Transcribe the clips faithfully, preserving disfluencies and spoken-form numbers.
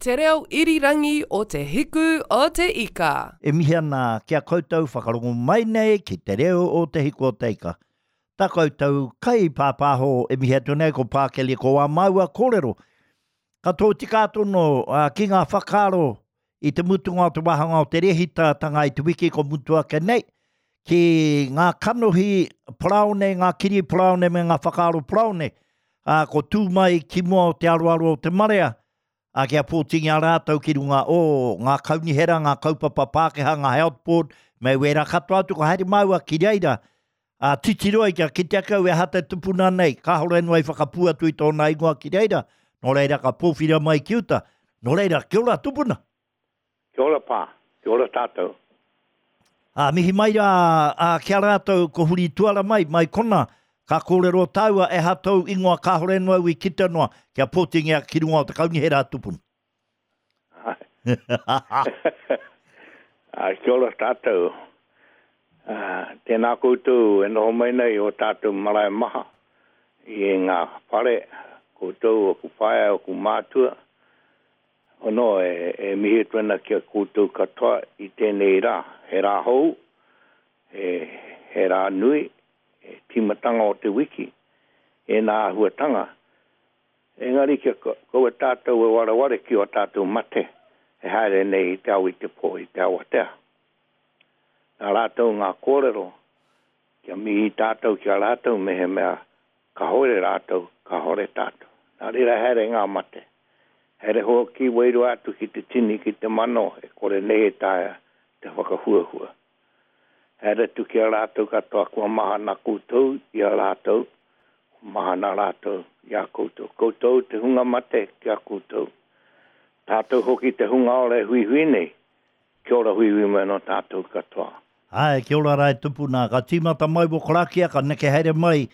Te reo irirangi o Te Hiku o Te Ika. E mihi ana ki a koutou whakarongo mai nei ki te reo o Te Hiku o Te Ika. Tā koutou kai pāpāho e mihi atu nei ko Pākeli ko wā māua kōrero. Ka tōtika atu no uh, ki ngā whakaaro i te mutunga o te wāhanga o te rēhitatanga i te wiki ko mutu ake nei, ki ngā kanohi paraone, ngā kiri paraone me ngā whakaaro paraone, uh, ko tū mai ki mua o te aroaro o te marea, a kia pōtingia rātou ki runga o ngā kaunihera, ngā kaupapa Pākehā, ngā health board, me wērā katoa atu ko haere māua ki reira. A titiro ai kia kite ake au e aha te tupuna nei, kāhore noa i whakapū atu i tōna ingoa ki reira, nō reira ka pōwhira mai ki uta. Nō reira, kia ora tupuna. Kia ora pā, kia ora tātou. A mihi mai rā a, kia rātou ko huri tuara mai, mai kona, ka kōrero tāua e ha tau ingoa kāhore noa au i kite noa, kia pōtingia ki runga o te kaunihera tupuna. Ai, kia ora tātou. Uh, tēnā koutou e noho mai nei o tātou marae maha i ngā whare, koutou o ku whaea o ku mātua. Ono e, e mihi atu ana ki a koutou katoa i tēnei rā. He rā hou, he, he rā nui, he tīmatanga o te wiki, e nā āhuatanga. Engari kia kaua tātou e wareware ki o tātou mate, e haere nei i te ao i te pō i te awatea. Nā rātou ngā kōrero, kia mihi tātou ki a rātou me he mea ka hore rātou, ka hore tātou. Nā reira haere ngā mate. Haere hoki wairua atu ki te tini, ki te mano, e kore nei e taea te whakahuahua. Haere atu ki a rātou katoa, kua mahana koutou i a rātou, kua mahana rātou i a koutou. Koutou te hunga mate ki a koutou. Tātou hoki te hunga ora e huihui nei, kia ora huihui mai no tātou katoa. Ai, kia ora rā e tupuna. Ka tīmata mai wo karakia, ka neke haere mai,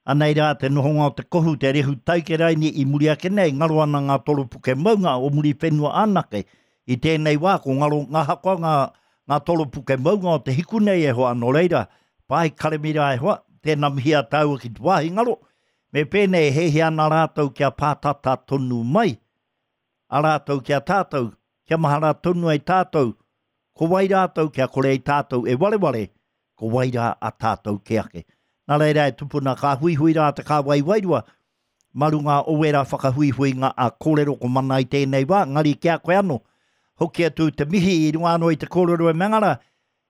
anei rā te nohonga o te kohu, te rehu taikeraini i muri ake nei, ngaro ana ngā toropuke maunga o muri whenua anake. I tēnei wā, ko ngaro ngā hakoa ngā, ngā toropuke maunga o te hiku nei e hoa, nō reira, pai karemira e hoa, tēnā mihi a tāua ki te wāhi ngaro, me pēnei he ana rātou kia pātata tonu mai, a rātou kia tātou, kia mahara tonu ai tātou, ko wai rātou kia kore ai tātou e wareware, ko wai rā a tātou ke ake. Nā reira e tupuna ka huihui rā te kāwai wairua, marunga o wērā whakahuihuinga a kōrero ko mana i tēnei wā, ngari ki a koe anō. Hoki atu te mihi i runga anō i te kōrero e mengara,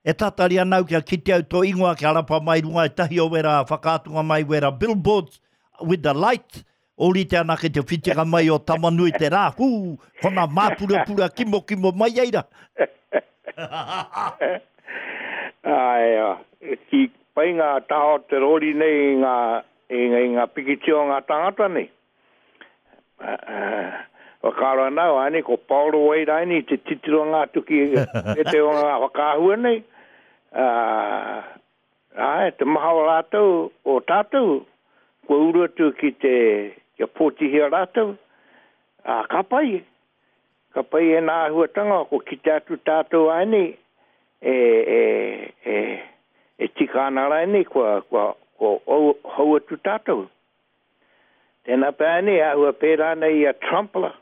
e tatari ana au kia kite au tō ingoa kia rapa mai runga e tahi o wērā whakaatunga mai wērā billboards with the light, ōrite ana ke te whitinga mai o Tamanui te rā, hū, kona māpurapura kimo kimo mai eira. Ai, ki pai ngā taha o te rori nei i ngā, i ngā, i ngā pikitia o ngā tangata nei. Uh, whakaaro ana au, āne, ko Paolo Wairaini te titiro ngā tuki e te o ngā whakaahua nei. Uh, ai, te maha o rātou, o tātou, kua uru atu ki te, kia pōtihia rātou. Uh, ka pai, ka pai e nā āhuatanga, ko kite atu tātou āne, e, e, e, e tika ana rānei, kua, kua, kua hou, hou atu tātou. Tēnā pea nei, āhua pērā nei i a Trump la.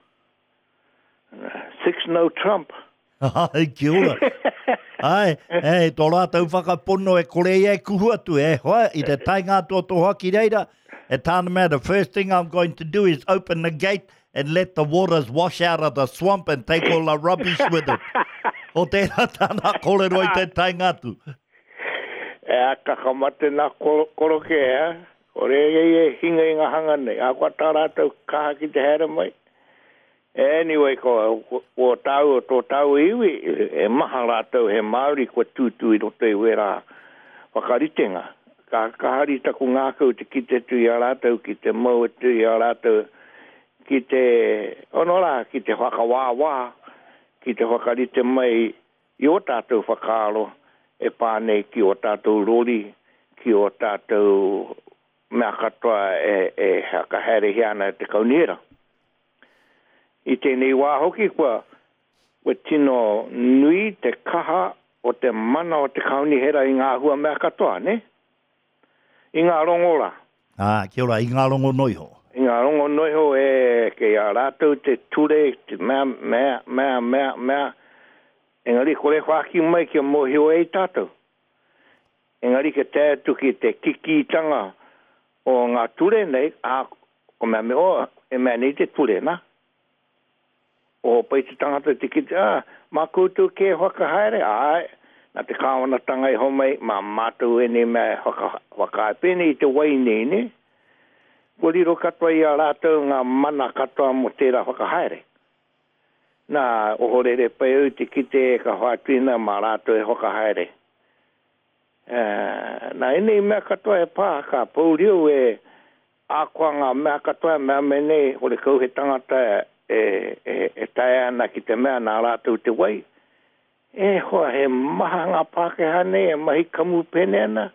Six no Trump. Ai, kia ora. Ai, e, tō rātou whakapono e kore ia e kuhu atu, e hoa, i te taenga atu o tō hoa ki reira, e tāna mea, the first thing I'm going to do is open the gate and let the waters wash out of the swamp and take all the rubbish with it. O tērā tāna kōrero i te taenga atu. E a kakamate nā koroke, eh? Kore e e hinga i ngā hanga nei. A kua tā rātou kaha ki te haere mai. Anyway, ko, ko, ko tāu, tō tāu iwi, e maha rātou he Māori kua tūtū i roto i wērā whakaritenga. Ka, ka hari taku ngākau te kite atu i a rātou, ki te mau atu i a rātou, ki te, ono rā, ki te whakawāwā, ki te whakarite mai i o tātou whakaaro e pā nei ki o tātou rori, ki o tātou mea katoa e, e whakahaerehia ana e te kaunihera. I tēnei wā hoki kua, kua tino nui te kaha o te mana o te kaunihera i ngā hua mea katoa, ne? I ngā rongo rā. Ah, kia ora, i ngā rongo noiho. I ngā rongo noiho e kei a rātou te ture, te mea, mea, mea, mea, mea. Engari kore whāki mai kia mōhio e i tātou. Engari ke te atu ki te kikitanga o ngā ture nei, a, ko mea me o, e mea nei te ture, na. O pai te tangata te kite, ah, mā koutou ke whakahaere, ai, nā te kāwanatanga i homai, mā mātou e nei mea whaka, whakahaere. Pēnei i te wai nei, ne? Kua riro katoa i a rātou ngā mana katoa mō tērā whakahaere. Nā, ohorere pai au te kite e ka whātuina mā rātou e whakahaere. Uh, nā, enei mea katoa e pā, ka pourio e ākoa ngā mea katoa, mea me nei, hore kau he tangata e, e, e tae ana ki te mea nā rātou te wai. E hoa, he maha ngā Pākehā nei e mahi kamupene ana,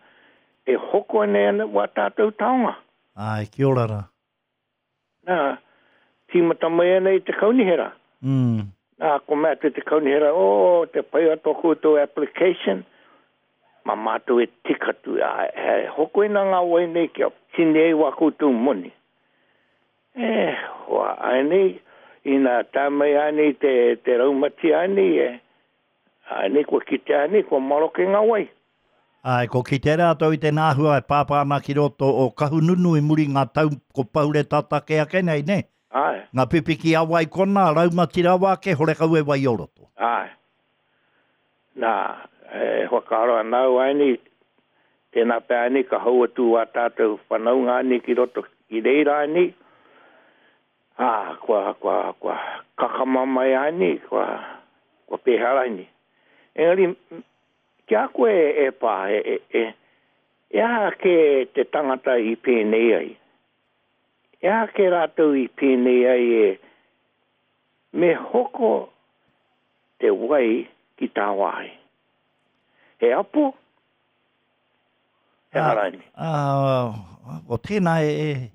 e hoko nei ana wā tātou taonga. Ai, kia ora rā. Nā, tīmata mai ana i te kaunihera. Mm. Nā, ko mea te te kaunihera, o, oh, te pai o tō koutou application, ma mātou e tikatu, a, he hoko ina ngā wai nei kia tini ei wā koutou moni. E, hoa, ai nei, ina tā mai ai nei te, te raumati ai nei, e, ai nei kua kite ai nei, kua maroke ngā wai. Ai, ko kite rātou i te nāhua e pāpā ana ki roto o Kahungunu i muri ngā tau ko paure tatake ake nei, ne? Ai. Ngā pipiki a wai kona, raumati rawa ake, horekau e wai o roto. Ai. Nā, e whakaaro anau ai nei, tēnā pea ai nei ka hau atu wā tātou whanaunga ai nei ki roto ki reira ai nei. Ā, kua, kua, kua kakama mai ai nei, kua, kua pēhara ai nei. Engari, kia koe e pā, e, e, e, e aha ke te tangata i pēnei ai? E aha ke rātou i pēnei ai e me hoko te wai ki tāwāhi? He apo? He Ah, haraini. Ah, o tēnā e, e,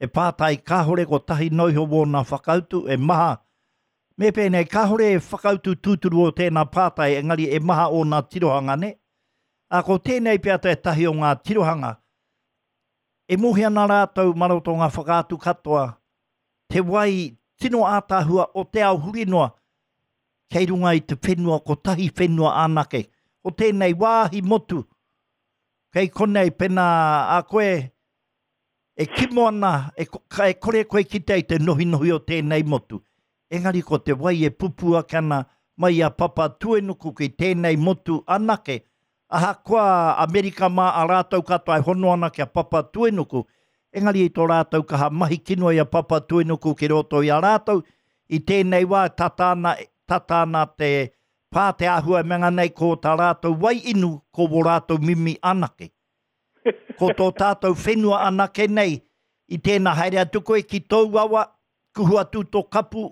e pātai kāhore ko tahi noiho wōna whakautu e maha. Me pēnei, kāhore e whakautu tūturu o tēnā pātai, engari e maha ōna tirohanga, ne? A ko tēnei pea te tahi o ngā tirohanga, e mohi ana rātou maroto ngā whakaatu katoa, te wai tino ātāhua o te ao huri noa, kei runga i te whenua, kotahi whenua anake. O tēnei wāhi motu, kei konei pena a koe, e kimo ana, e, e kore koe kite i te nohinohi o tēnei motu. Engari ko te wai e pupu ake ana mai a Papatuenuku ki tēnei motu anake. Ahakoa Amerika mā a rātou katoa e hono ana ki a Papatuenuku. Engari i tō rātou kaha mahi kino i a Papatuenuku ki roto i a rātou. I tēnei wā tata ana, tata ana te pā te āhua e menga nei ko tā rātou wai inu ko wō rātou mimi anake. Ko tō tātou whenua anake nei i tēnā haere atu koe ki tōu awa, kuhu atu tō kapu,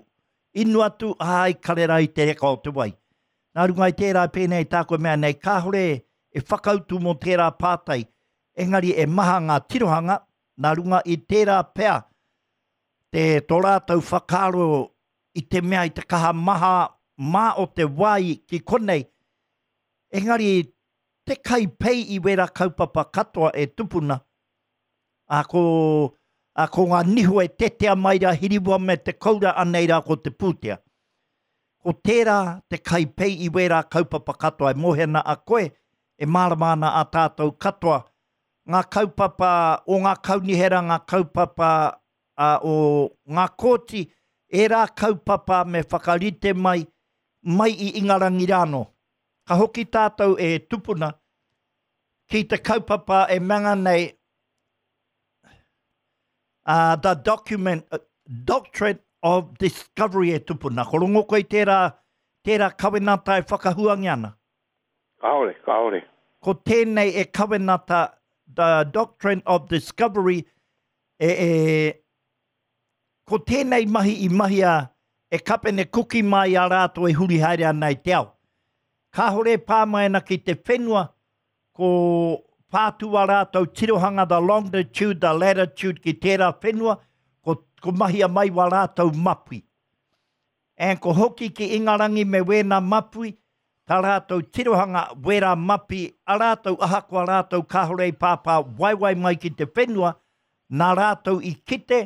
inu atu, ai, karera i te reka o te wai. Nā runga i tērā pēnei tāku mea nei, kāhore e whakautu mō tērā pātai, engari e maha ngā tirohanga, nā runga i tērā pea, te tō rātou whakaaro i te mea i te kaha maha mā o te wai ki konei, engari te kai pei i wera kaupapa katoa e tupuna, a ko, a ko ngā niho e tetea mai rā hiriwa me te koura anei rā ko te pūtea. Ko tērā te kai pei i wera kaupapa katoa e mohe ana a koe, e mārama ana a tātou katoa. Ngā kaupapa o ngā kaunihera, ngā kaupapa a, o ngā kōti, ērā kaupapa me whakarite mai, mai i Ingarangi rāno. Ka hoki tātou e tupuna ki te kaupapa e manga nei uh, the document, uh, Doctrine of Discovery e tupuna. Ko rongo koe tērā, tērā kawenata e whakahuangi ana. Kāore, kāore. Ko tēnei e kawenata, the Doctrine of Discovery, e, e, ko tēnei mahi i mahia e Kapene Kuki mai a rātou e huri haere ana i te ao. Kāhore pā mai ana ki te whenua, ko pātua rātou tirohanga, the longitude, the latitude ki tērā whenua, ko, ko mahia mai wā rātou mapi. And ko hoki ki Ingarangi me wēnā mapui, tā rātou tirohanga wērā mapi, a rātou ahakoa rātou kāhore i pāpā waiwai mai ki te whenua, Nā rātou i kite,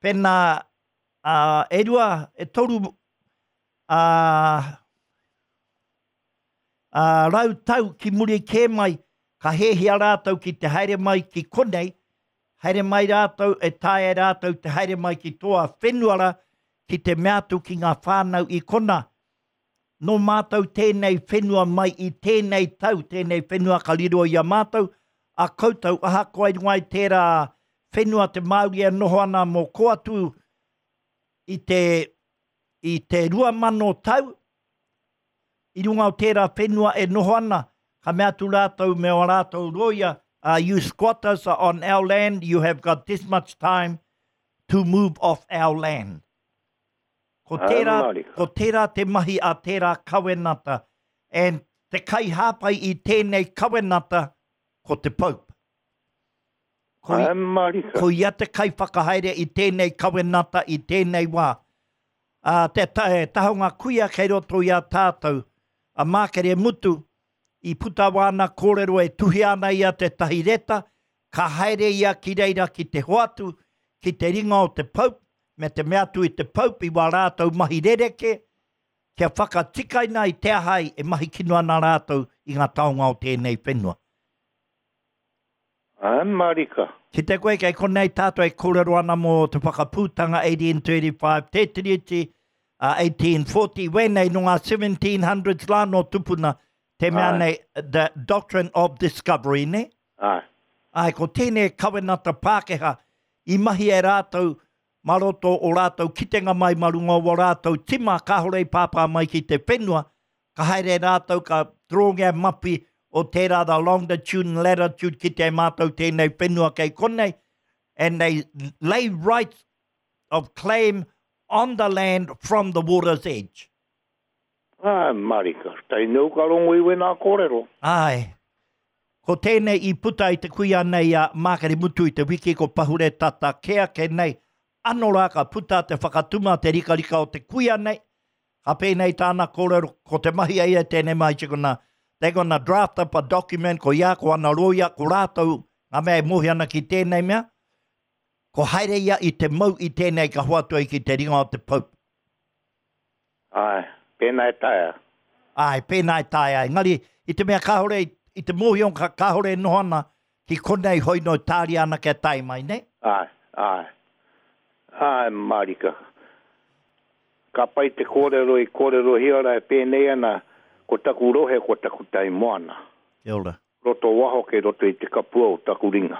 pēnā uh, e rua, e toru uh, uh, rau tau ki muri kē mai, ka hehia rātou ki te haere mai ki konei, haere mai rātou, e tae rātou te haere mai ki toa whenuara, ki te mea atu ki ngā whānau i kona. Nō mātou tēnei whenua mai i tēnei tau, tēnei whenua ka riro i a mātou, a koutou ahakoa i runga i tērā whenua te Māori e noho ana mō ko atu i te, i te rua mano tau, i runga o tērā whenua e noho ana, ka mea atu rātou me o rātou roia, uh, you squatters are on our land, you have got this much time to move off our land. Ko tērā, ko tērā te mahi a tērā kawenata, and te kai hāpai i tēnei kawenata, ko te Pope. Ko, ko ia te kai whakahaere i tēnei kawenata i tēnei wā. Uh, te ta, tahonga kuia kei roto i a tātou, a Mākere Mutu, i puta wāna kōrero e tuhi ana ia te tahi reta, ka haere ia ki reira ki te hoatu, ki te ringa o te Pope, me te mea atu i te Pope i wā rātou mahi rereke, kia whakatikaina i te ahai e mahi kino ana rātou i ngā taonga o tēnei whenua. Ai, marika. Ki te koe, kei konei tātou e kōrero ana mō te whakapūtanga eighteen thirty-five, te tiriti, uh, eighteen forty, wēnei no ngā seventeen hundreds la no tupuna, te mea nei, the doctrine of discovery, ne? Ai. Ai, ko tēnei kawenata Pākehā, i mahi e rātou, maroto o rātou kitenga mai marunga o rātou tima, kāhore i pāpā mai ki te whenua, ka haere rātou ka trongia mapi o tērā the longitude and latitude ki te mātou tēnei whenua kei konei, and they lay rights of claim on the land from the water's edge. Ai, marika, tainau ka rongo i wena kōrero. Ai. Ko tēnei i puta i te kuia nei a Mākere Mutu i te wiki ko pahure tata kea ke nei, ano rā ka puta te whakatuma te rikarika o te kuia nei, ka pēnei tāna kōrero, ko te mahi ai e tēnei mai tikona, they're gonna draft up a document, ko ia, ko ana roia, ko rātou, ngā mea e mohi ana ki tēnei mea, ko haere ia i te mau i tēnei ka hoatu ai ki te ringa o te Pope. Ai, pēnā e taea. Ai, pēnā e taea. Engari, i te mea kāhore, i te mōhio ka kāhore e noho ana, ki konei hoi no tāria ana kia tae mai, ne? Ai, ai. Ai, marika. Ka pai te kōrero i kōrero hiara e pēnei ana, ko taku rohe, ko taku tai moana. Kia ora. Roto waho ke roto i te kapua o taku ringa.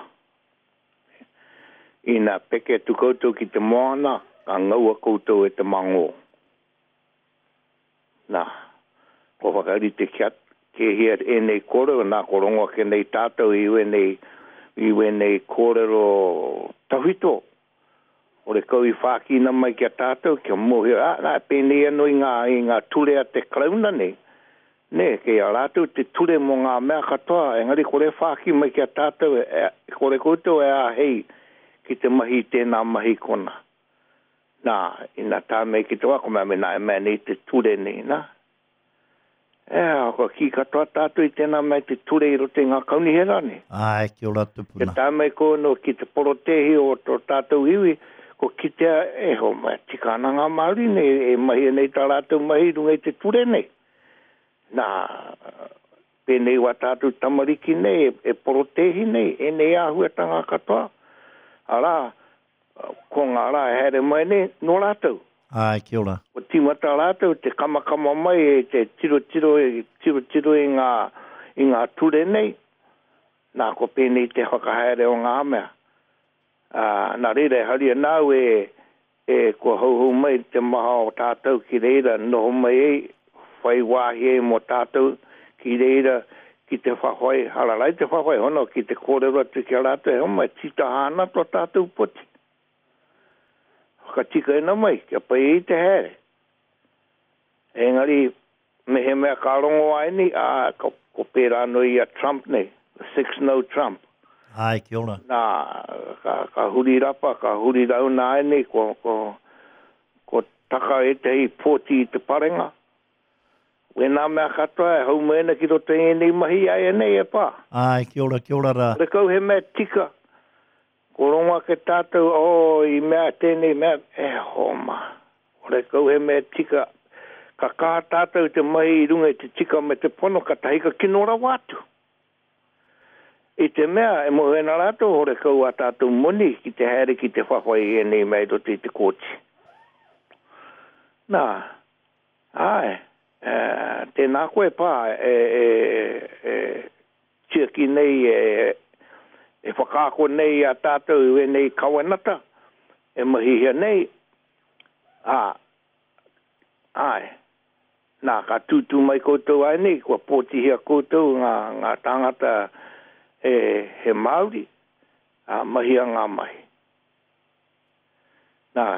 Ina peke tu koutou ki te moana, ka ngaua koutou e te mangō. Nā, ko whakarite kia ke hia enei kōrero, nā ko rongo ake nei tātou i wenei, i wenei kōrero tawhito. Ore kau i whākina mai kia tātou, kia mōhio, ah, nā, pēnei anō i ngā, i ngā ture a te Karauna nei. Nē, kei a rātou te ture mō ngā mea katoa, engari kore whāki mai kia tātou, e, kore koutou e āhei ki te mahi tēnā mahi kona. Nā, ina tā mei ki te wako mea me nā e mea nei te ture nei, nā. E, kua ki katoa tātou i tēnā mea te ture i roto i ngā kaunihera nei. Ai, kia ora tupuna. Kia tā mei kono ki te porotehi o tō tātou iwi, ko kitea e ho mai, tika ana ngā Māori nei, e mahi nei tā rātou mahi runga i te ture nei. Nā, pēnei wā tātou tamariki nei, e, e porotehi nei, e nei āhuatanga katoa. Arā, ko ngā rā e haere mai nei, nō rātou. Ai, kia ora. Ko tīmata rātou, te kamakama mai, e te tiro tiro, e tiro tiro i ngā, i ngā ture nei. Nā, ko pēnei te whakahaere o ngā mea. Uh, nā reira, haria nāu e, e kua hauhau mai te maha o tātou ki reira, noho mai e, whai wāhi e mō tātou ki reira, ki te whawhai, hararai te whawhai, hono, ki te kōrero atu ki a rātou, e homai, tita hāna tō tātou poti. Whakatika ena mai, kia pai i te haere. Engari, me he mea ka rongo ai nei, a, ko, ko pērā no i a Trump nei, six no Trump. Ai, kia ora. Nā, ka, ka huri rapa, ka huri rauna ai nei, ko, ko, ko taka e te hei pōti i te parenga. Wēnā mea katoa e hau mai ana ki roto i ēnei mahi ai e nei e pā. Ai, kia ora, kia ora rā. Kore kau he mea tika, Ko rongo ake tātou, oh, i mea tēnei mea, e homa. Ore kau he mea tika, ka kaha tātou te mahi i runga i te tika me te pono, ka tahi ka kino rawa atu. I te mea, e moe ana rātou, hore kau a tātou moni ki te haere ki te whawhai i ēnei mea i roto i te kōti. Nā, āe, e, tēnā koe pā, e, e, e, tiaki nei, e, e whakaako nei a tātou i wēnei kawenata, e mahihia nei, ā, āe, nā, ka tūtū mai koutou ai nei, kua pōtihia koutou ngā, ngā tāngata e, he Māori, ā, mahia ngā mahi. Nā,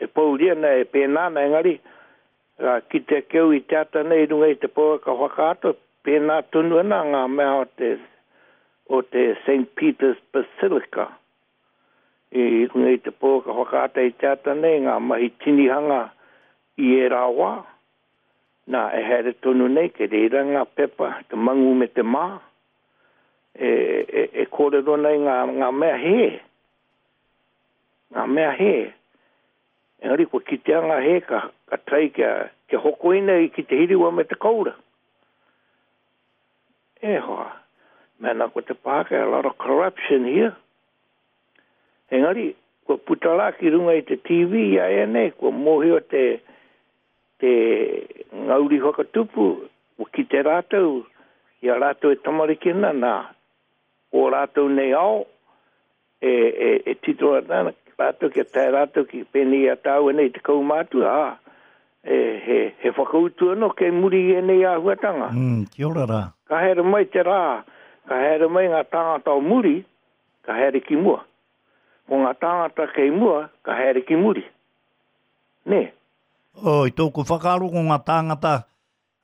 e pouria na e pēnā na engari, ka kite keu i te ata nei runga i te pouaka whakaata, pēnā tonu ana ngā mea o te, o te Saint Peter's Basilica. I runga i te pouaka whakaata i te ata nei, ngā mahi tinihanga i e rā wā. Nā, e haere tonu nei, ke reira ngā pepa, te mangu me te mā, e, e, e kōrero nei ngā, ngā mea hē. Ngā mea hē. Engari, kua kitea ngā hē ka, ka tai kia, kia hokoina i ki te hiriwa me te koura. E hoa, mena ko te Pākehā, a lot of corruption here. Engari, kua puta rā ki runga i te T V i a e nei, kua mōhio te, te ngauri whakatupu, kua kite rātou, i a rātou e tamariki ana, nā, o rātou nei ao, e, e, e tito ana, rātou kia tae rātou ki pēnei a tāua nei te kaumātua, ā, e, he, he whakautu anō kei muri i ēnei āhuatanga. Mm, kia ora rā. Ka haere mai te rā, ka haere mai ngā tāngata o muri, ka haere ki mua. Ko ngā tāngata kei mua, ka haere ki muri. Nē? O, i tōku whakaaro ko ngā tāngata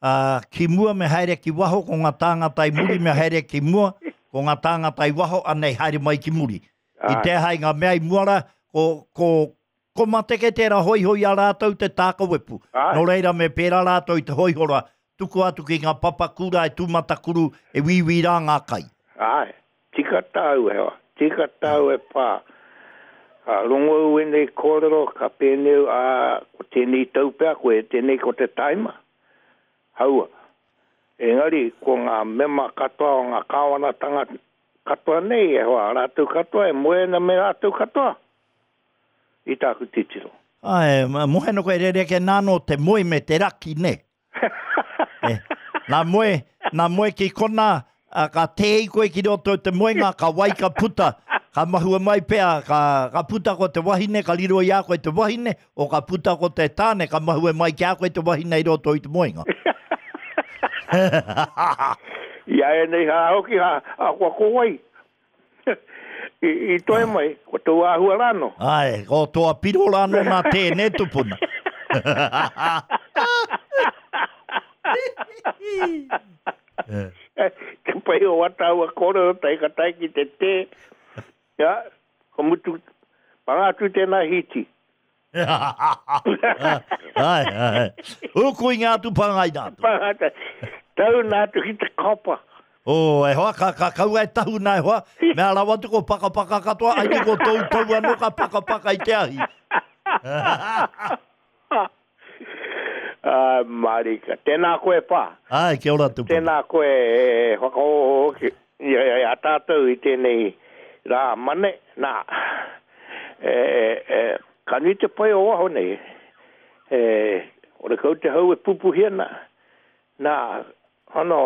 uh, ki mua me haere ki waho, ko ngā tāngata i muri me haere ki mua, ko ngā tāngata i waho anei haere mai ki muri. I te hai ngā mea i mua rā, ko, ko, ko mateke tērā hoihoi a rātou te tākawepu. Nō reira me pērā rātou i te hoihora, tuku atu ki ngā papakura e tūmatakuru e wīwī rā ngā kai. Ai, tika tāu e hoa, tika tāu e pā. Ka rongo au ēnei kōrero, ka pēnei, ā, ko tēnei tau pea, ko e tēnei ko te taima. Haua. Engari, ko ngā mema katoa o ngā kāwanatanga katoa nei, e hoa, rātou katoa, e moe ana me rātou katoa. I tāku titiro. Ai, moheno koe rereke nāno te moe me te raki, ne? E, nā moe, nā moe ki kona, a, ka tēi koe ki roto te moenga, ka wai ka puta, ka mahua mai pea, ka, ka puta ko te wahine, ka riro i a koe te wahine, o ka puta ko te tāne, ka mahua mai ki a koe te wahine i roto i te moenga. I a e nei hā hoki, hā, hā kua ko wai. I, i toe mai, ko tō āhua rāno. Ai, ko tō apiro rāno nā tēnei tupuna. Te pai o wataua kōrero tai ka tai ki te tē. Ja, ko mutu, panga atu tēnā hiti. Ai, ai. Uku i ngā atu pangai nā atu. Panga atu. Tau nā atu ki te kopa. O, e hoa, ka, ka kaua e tahu nā e hoa. Mea rawa atu ko pakapaka katoa, ai ko tau tau anō ka pakapaka i te ahi. Ah, marika. Tēnā koe pā. Ai, kia ora tupuna. Tēnā koe e whakaoho ki i a tātou i tēnei rā mane. Nā, e, e, ka nui te pai o waho nei. E, ore kau te hau e pupuhi ana. Nā, ano,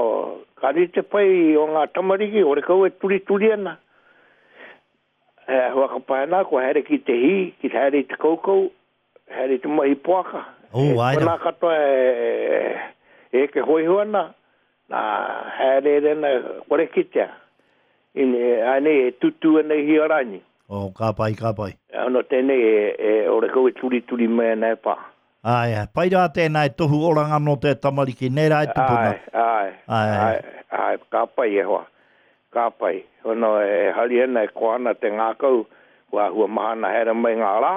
ka nui te pai o ngā tamariki, ore kau e turituri ana. E, whakapae nā, kua haere ki te hī, ki te haere i te kaukau, haere i te mahi poaka. Oh, ai Ko nā katoa e, e ke hoiho ana, nā haere rena kore kitea. Ine, ai nei e tutu ana i hiarani. Oh, ka pai, ka pai. Ano tēnei e, e ore kau e turituri mai ana e pā. Ai, pai rā tēnā e tohu oranga no te tamariki, nei rā e tupuna. Ai, ai, Ai. ai, ai, ka pai e hoa, ka pai. Ono e hari ana e koa ana te ngākau, kua hua mahana haere mai ngā rā.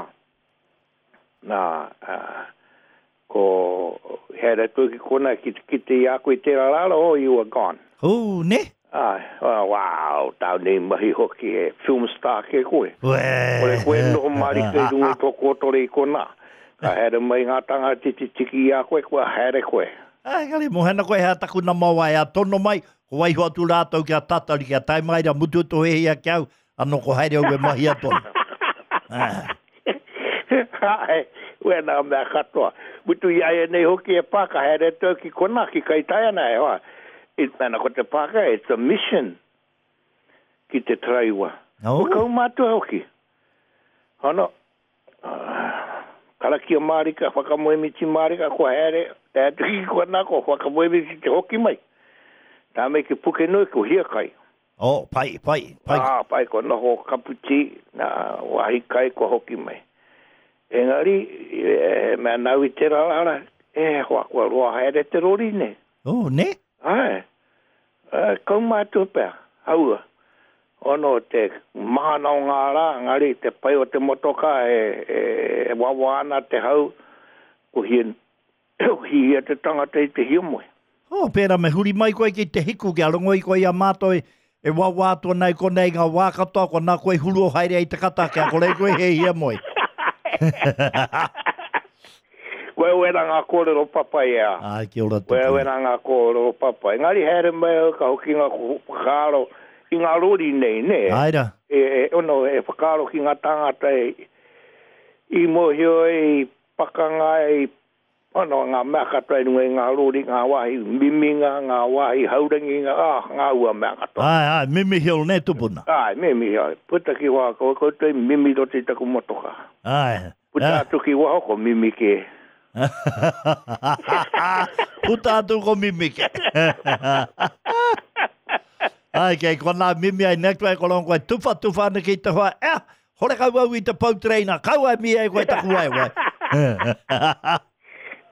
Nā, uh, ko haere atu ki kona ki te kite i a koe tērā rāra, oh, you were gone. Oh, ne? Ai, oh, wow, tāu nei mahi hoki e film star ke koe. Uē. Kore koe noho marika i runga i tō kōtore i konā. Ka haere mai ngā tangata titi tiki i a koe, kua haere koe. Ai, kare, mohena koe hea taku nama wai a tono mai, ko waiho atu rātou kia tatari, kia tae mai ra mutu tō hehia ki au, anō ko haere au e mahi a tono. Ah. Ai, wena mea katoa. Mutu i aia nei hoki e pā, ka haere tau ki konā, ki Kaitaia e hoa. It, mana ko te pāka, it's a mission ki te taraiwa. Oh. Ko kaumātua hoki. Hono, uh, karakia mārika, whakamoemiti mārika, ko haere, te atu ki konā, ko whakamoemiti te hoki mai. Tā me ki Pukenui, ko hiakai. Oh, pai, pai, pai. Ah, pai, ko noho kaputi, nā wahi kai, ko hoki mai. Engari, e, mea nau i te rara, e, hoa kua roa haere te rori nei. Oh, ne? Ai, e, kaumātua pea, haua. Ono te mahana o ngā rā, ngari te pai o te motoka e, e, e wawa ana te hau, ko hia, hia te tangata i te hiamoe. Oh, pērā me huri mai koe ki te hiku, kia rongo i koe i a mātou e, e wawa atu nei konei ngā wā katoa, ko nā koe huru o haere i te kata, kia kore koe he hiamoe. Koe wena ngā kōrero papai e a. Ai, kia ora Koe tupuna. wena ngā kōrero papai. Ngari haere mai au ka hoki ngā whakaaro i ngā rori nei, ne? Ai rā. E, e, ono, e whakaaro ki ngā tāngata e, i mōhio e, i pakanga e, ono, ngā mea katoa i runga i ngā rori, ngā wāhi miminga, ngā wāhi haurangi, ngā, ah, ngā ua mea katoa. Ai, ai, mimi hill ne tupuna. Ai, mimi, ai. Puta ki wā, ko koutou i mimi roto i taku motoka. Ai. Puta Ah. atu ki waho, ko mimi ke. Puta atu ko mimi ke. Ai, kei kona mimi ai nektu ai koron koe tuwha tuwha ana ki te hoa. Eh, hore kau au i te pau treina, kau ai mi ai koe taku ai wai.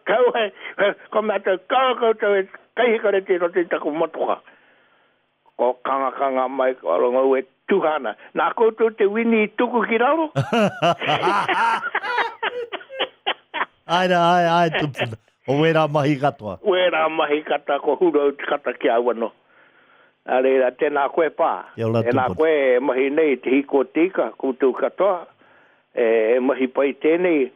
Kau ai, ko mātou, kau koutou e kaihikare te roto i taku motoka. Ko kanga kanga mai, ko rongo e tuhana. Nā koutou te wini i tuku ki raro? Ai rā, ai, ai, tupuna. O wera mahi katoa. Wera mahi kata, ko hurau te kata ki au anō. Nā reira, tēnā koe pā. Kia ora, Tēnā tupuna. koe e mahi nei te hiko tika, koutou katoa. E, e mahi pai tēnei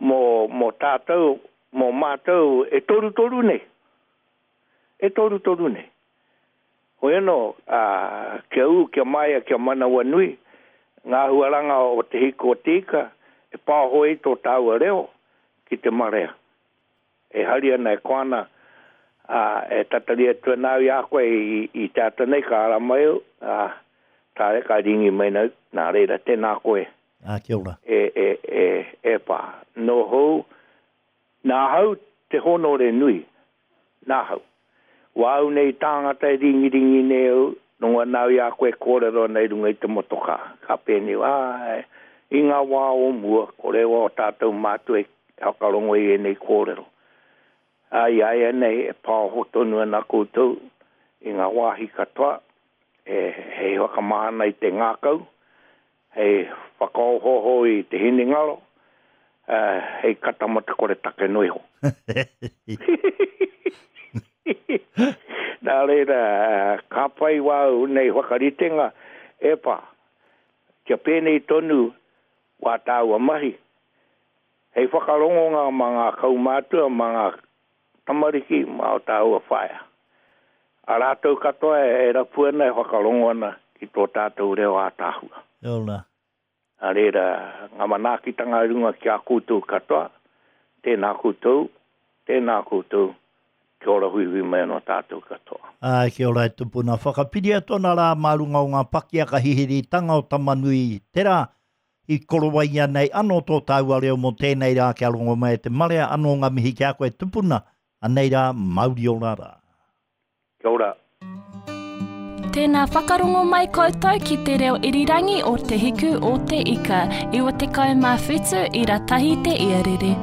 mō, mō tātou, mō mātou, e toru toru nei. E toru toru nei. Hoi anō, ā, kia ū, kia maia, kia manawa nui, ngā huaranga o te hiko tika, e pāhoi tō tāua reo ki te marea. E hari ana e koana, ā, e tatari atu ana au i a koe i, i te ata nei ka ara mai au, ā, tāre ka ringi mai nau, nā reira tēnā koe Ah, kia ora. e, e, e, e pā. No hou, nā hau te honore nui, nā hau. Wā au nei tāngata e ringi ringi nei au, nonga nau i a koe kōrero nei runga i te motoka. Ka pēni, ā, i ngā wā o mua, kore wā o tātou mātua e whakarongo i ēnei kōrero. Ai ai nei e pāho tonu ana koutou i ngā wāhi katoa, e, hei whakamahana i te ngākau, hei whakaohoho i te hinengaro, uh, hei kata mo te kore take no iho. Nā reira, eh, ka pai wau nei whakaritenga, e pā, kia pēnei tonu wā tāua mahi. Hei whakarongonga mā ngā kaumātua, mā ngā tamariki, mā o tāua whaea. A rātou katoa e, e rapu ana, e whakarongo ana ki tō tātou reo ātāhua. Kia ora. Nā reira, ngā manaakitanga runga ki a koutou katoa, tēnā koutou, tēnā koutou, kia ora huihui mai anō tātou katoa. Ai, kia ora e tupuna. Whakapiria tōna rā mā runga o ngā pakiaka hihiritanga o Tamanui te rā i korowaia nei anō tō tāua reo mō tēnei rā kia rongo mai e te marea anō ngā mihi ki a koe tupuna. Anei rā, mauri ora rā. Kia ora. Tēnā whakarongo mai koutou ki te reo irirangi o Te Hiku o Te Ika, iwa tekau mā whitu i ratahi te iarere.